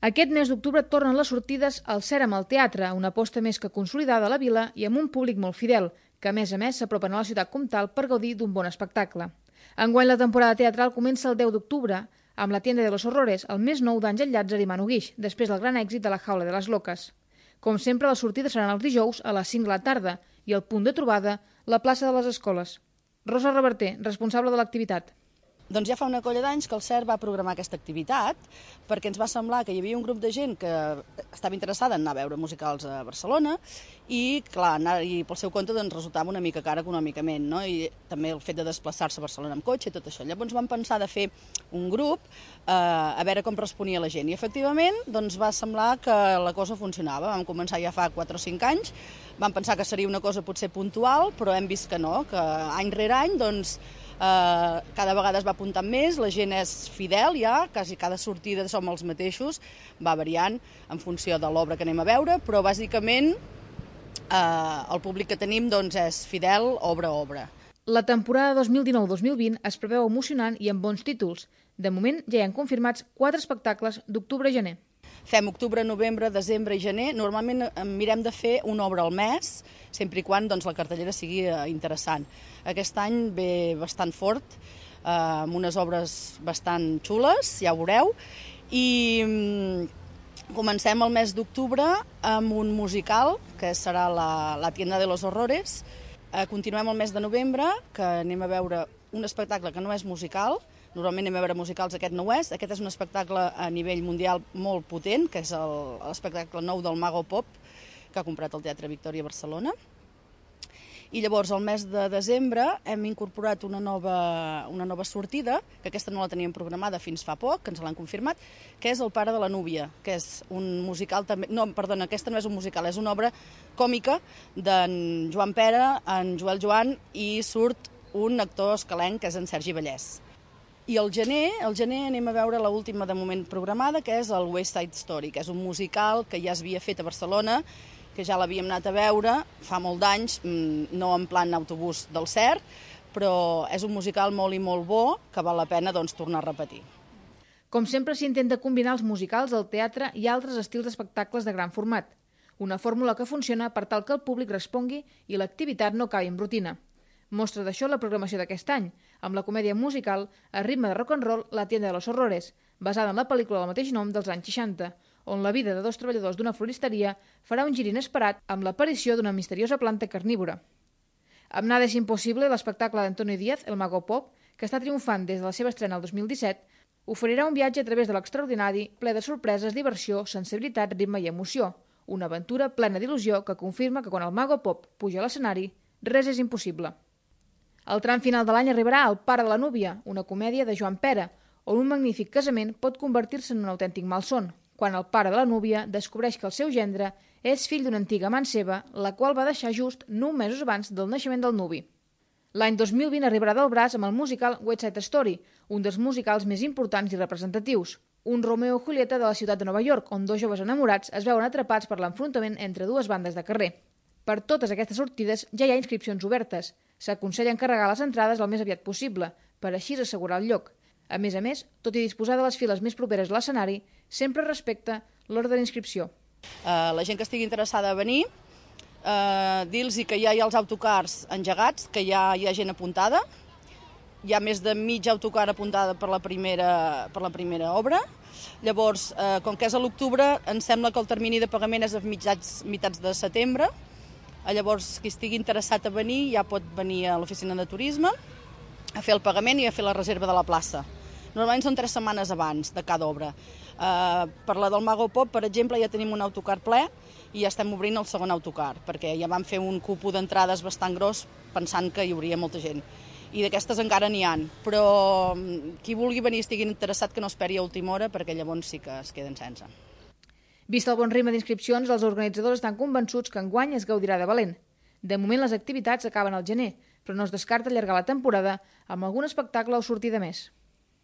Aquest mes d'octubre tornen les sortides al Cèrem al teatre, una aposta més que consolidada a la vila i amb un públic molt fidel, que a més s'apropen a la ciutat comtal per gaudir d'un bon espectacle. Enguany la temporada teatral comença el 10 d'octubre, amb La tienda de los horrores, el més nou d'Àngel Llàtzer i Manu Guix, després del gran èxit de La jaula de les loques. Com sempre, les sortides seran els dijous a les 5 de la tarda i el punt de trobada, la plaça de les Escoles. Rosa Reverter, responsable de l'activitat. Doncs ja fa una colla d'anys que el CERT va programar aquesta activitat perquè ens va semblar que hi havia un grup de gent que estava interessada en anar a veure musicals a Barcelona i, clar, anar-hi pel seu compte doncs, resultava una mica car econòmicament, no? I també el fet de desplaçar-se a Barcelona amb cotxe i tot això. Llavors vam pensar de fer un grup a veure com responia la gent i efectivament doncs, va semblar que la cosa funcionava. Vam començar ja fa 4 o 5 anys, vam pensar que seria una cosa potser puntual, però hem vist que no, que any rere any doncs, cada vegada es va apuntant més, la gent és fidel ja, quasi cada sortida som els mateixos, va variant en funció de l'obra que anem a veure, però bàsicament el públic que tenim doncs, és fidel obra a obra. La temporada 2019-2020 es preveu emocionant i amb bons títols. De moment ja hi han confirmats 4 espectacles d'octubre a gener. Fem octubre, novembre, desembre i gener. Normalment mirem de fer una obra al mes, sempre i quan doncs, la cartellera sigui interessant. Aquest any ve bastant fort, amb unes obres bastant xules, ja ho veureu, i comencem el mes d'octubre amb un musical, que serà la tienda de los horrores. Continuem el mes de novembre, que anem a veure un espectacle que no és musical. Normalment anem a veure musicals, aquest no ho és. Aquest és un espectacle a nivell mundial molt potent, que és l'espectacle nou del Mago Pop, que ha comprat el Teatre Victòria a Barcelona. I llavors, al mes de desembre, hem incorporat una nova sortida, que aquesta no la teníem programada fins fa poc, que ens l'han confirmat, que és El pare de la núvia, que és un musical també... No, perdona, aquesta no és un musical, és una obra còmica d'en Joan Pera, en Joel Joan, i surt un actor escalenc, que és en Sergi Vallès. I al gener anem a veure l'última de moment programada, que és el West Side Story, que és un musical que ja s'havia fet a Barcelona, que ja l'havíem anat a veure fa molt d'anys, no en plan autobús del CERT, però és un musical molt i molt bo que val la pena doncs, tornar a repetir. Com sempre s'intenta combinar els musicals, el teatre i altres estils d'espectacles de gran format. Una fórmula que funciona per tal que el públic respongui i l'activitat no acabi en rutina. Mostra d'això la programació d'aquest any, amb la comèdia musical a ritme de rock and roll La tienda de los horrores, basada en la pel·lícula del mateix nom dels anys 60, on la vida de 2 treballadors d'una floristeria farà un gir inesperat amb l'aparició d'una misteriosa planta carnívora. Amb Nada es imposible, l'espectacle d'Antonio Díaz, El Mago Pop, que està triomfant des de la seva estrena el 2017, oferirà un viatge a través de l'extraordinari, ple de sorpreses, diversió, sensibilitat, ritme i emoció. Una aventura plena d'il·lusió que confirma que quan el Mago Pop puja a l'escenari, res és impossible. El tram final de l'any arribarà El pare de la núvia, una comèdia de Joan Pera, on un magnífic casament pot convertir-se en un autèntic malson, quan el pare de la núvia descobreix que el seu gendre és fill d'una antiga amant seva, la qual va deixar just 9 mesos abans del naixement del nuvi. L'any 2020 arribarà del braç amb el musical West Side Story, un dels musicals més importants i representatius. Un Romeo i Julieta de la ciutat de Nova York, on 2 joves enamorats es veuen atrapats per l'enfrontament entre 2 bandes de carrer. Per totes aquestes sortides ja hi ha inscripcions obertes. S'aconsella encarregar les entrades el més aviat possible, per així assegurar el lloc. A més, tot i disposar de les files més properes a l'escenari, sempre respecta l'ordre d'inscripció. La gent que estigui interessada a venir, dir-los que ja hi ha els autocars engegats, que ja hi ha gent apuntada. Hi ha més de mig autocar apuntada per la primera obra. Llavors, com que és a l'octubre, em sembla que el termini de pagament és a mitjans de setembre. Llavors, qui estigui interessat a venir ja pot venir a l'oficina de turisme a fer el pagament i a fer la reserva de la plaça. Normalment són 3 setmanes abans de cada obra. Per la del Mago Pop, per exemple, ja tenim un autocar ple i ja estem obrint el segon autocar, perquè ja vam fer un cupo d'entrades bastant gros pensant que hi hauria molta gent. I d'aquestes encara n'hi ha, però qui vulgui venir i estigui interessat que no esperi a última hora, perquè llavors sí que es queden sense. Vist el bon ritme d'inscripcions, els organitzadors estan convençuts que enguany es gaudirà de valent. De moment les activitats acaben al gener, però no es descarta allargar la temporada amb algun espectacle o sortida més.